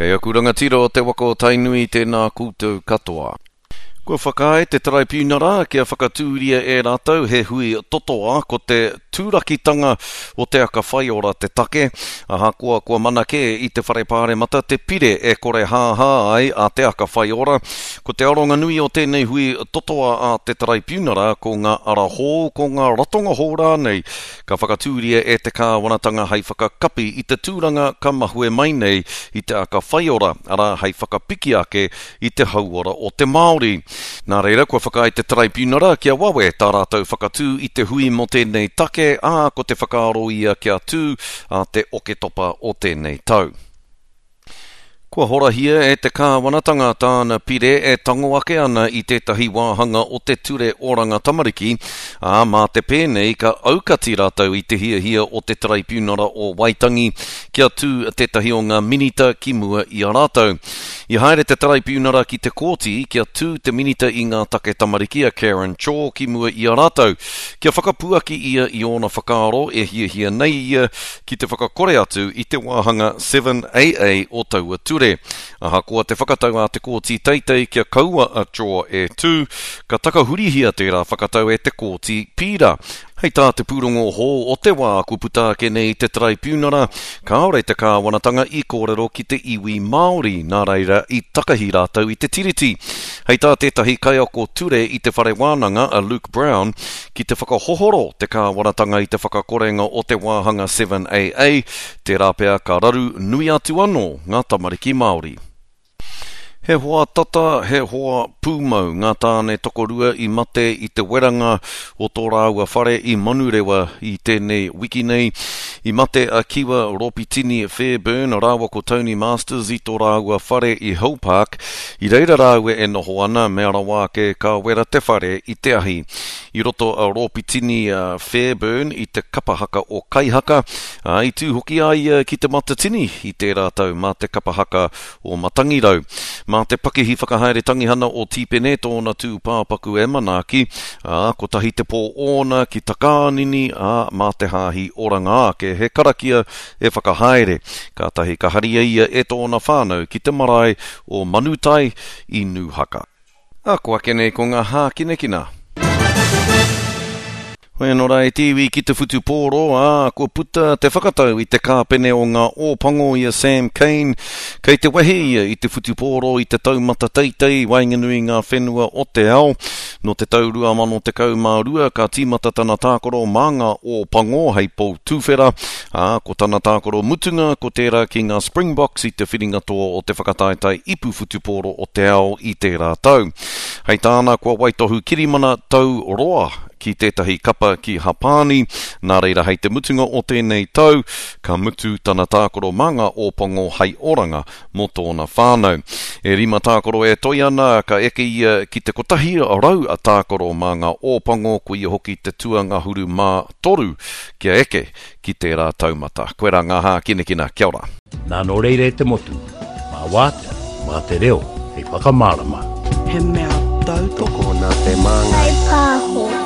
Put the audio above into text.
Kei aku rangatira o te waka o Tainui tēnā koutou katoa. Kua whakaae te Taraipiunara kia whakatūria e rātou he hui totoa ko te turakitanga o Te Aka Whaiora te take, ahakoa kua mana kē i te Whare Pāremata te pire e korehāhā ai a Te Aka Whaiora. Ko te aronga nui o tēnei hui totoa a te Taraipiunara ko ngā ara hou, ko ngā ratonga hou rānei ka whakatūria e te kāwanatanga hei whakakapi i te tūranga ka mahue mai nei i Te Aka Whaiora, arā, hei whakapiki ake i te hauora o te Māori. Nā reira, kua whakaae te Taraipiunara kia wawe tā rātou whakatū i te hui mō tēnei take, ā, ko te whakaaro ia kia tū ā te Oketopa o tēnei tau. Kua horahia e te kāwanatanga tāna pire e tango ake ana i tētahi wāhanga o te Ture Oranga Tamariki, ā, mā te pēnei ka aukati rātou i te hiahia o te Taraipiunara o Waitangi kia tū tētahi o ngā minita ki mua i a rātou. I haere te Taraipiunara ki te kōti kia tū te Minita i ngā Take Tamariki a Karen Chor ki mua i a rātou, kia whakapuaki ia i ōna whakaaro e hiahia nei ia ki te whakakore atu i te wāhanga 7AA o taua ture. Ahakoa te whakatau a te Kōti Teitei kia kaua a Chor e tū, ka takahurihia tērā whakatau e te Kōti Pīra. Hei tā te pūrongo hou o te wā kua puta ake nei i te Taraipiunara, kāore te kāwanatanga i kōrero ki te iwi Māori, nā reira i takahi rātou i te Tiriti. Hei tā tētahi kaiako ture i te whare wānanga, a Luke Brown, ki te whakahohoro te kāwanatanga i te whakakorenga o te wāhanga 7AA, tērā pea ka raru nui atu anō ngā tamariki Māori. He hoa tata, he hoa pūmau ngā tāne tokorua i mate i te weranga o tō rāua whare i Manurewa i tēnei wiki nei. I mate a Kiwa Ropitini Fairbairn rāua ko Tony Masters i tō rāua whare i Hill Park. I reira rāua e noho ana, mea rawa ake ka wera te whare i te ahi. I roto a Ropitini Fairbairn i te kapa haka o Kaihaka, ā, i tū hoki a ia ki Te Matatini i tērā tau mā te kapa haka o Matangirau. Mā te pakihi whakahaere tangihana o Tīpene tōna tūpāpaku e manaaki, ā, kotahi te pō ōna ki Takaanini, ā, mā te hāhi Oranga Ake he karakia e whakahaere. Kātahi ka haria ia e tōna whānau ki te marae o Manutai i Nūhaka. Ā, ko ake nei ko ngā hākinakina. Hoi anō rā e te iwi ki te whutupōro, ā, kua puta te whakatau i te kāpene o ngā Ōpango i a Sam Cane. Kei te wehe ia i te whutupōro i te taumata teitei i waenganui i ngā whenua o te ao. Nō te tau 2012 ka tīmata tana tākaro mā ngā Ōpango hei pou tuwhera, ā, ko tana tākaro mutunga ko tērā ki ngā Springboks i te whiringa toa o te whakataetae ipu whutupōro o te ao i tērā tau. Hei tāna kua waitohu kirimana tau roa ki tētahi kapa ki Hapāni, nā reira hei te mutunga o tēnei tau, ka mutu tana tākaro mā ngā Ōpango hei oranga mō tōna whānau. E rima tākaro e toe ana, ka eke ia ki te 100 tākaro mā ngā Ōpango, ko ia hoki te tuangahuru mā toru kia eke ki tērā taumata. Koirā ngā hākinakina. Kia ora. Nā nō reira e te motu, mā Wātea, mā te reo hei whakamārama. He mea tautoko. Tokona te māngai. Whai pāho.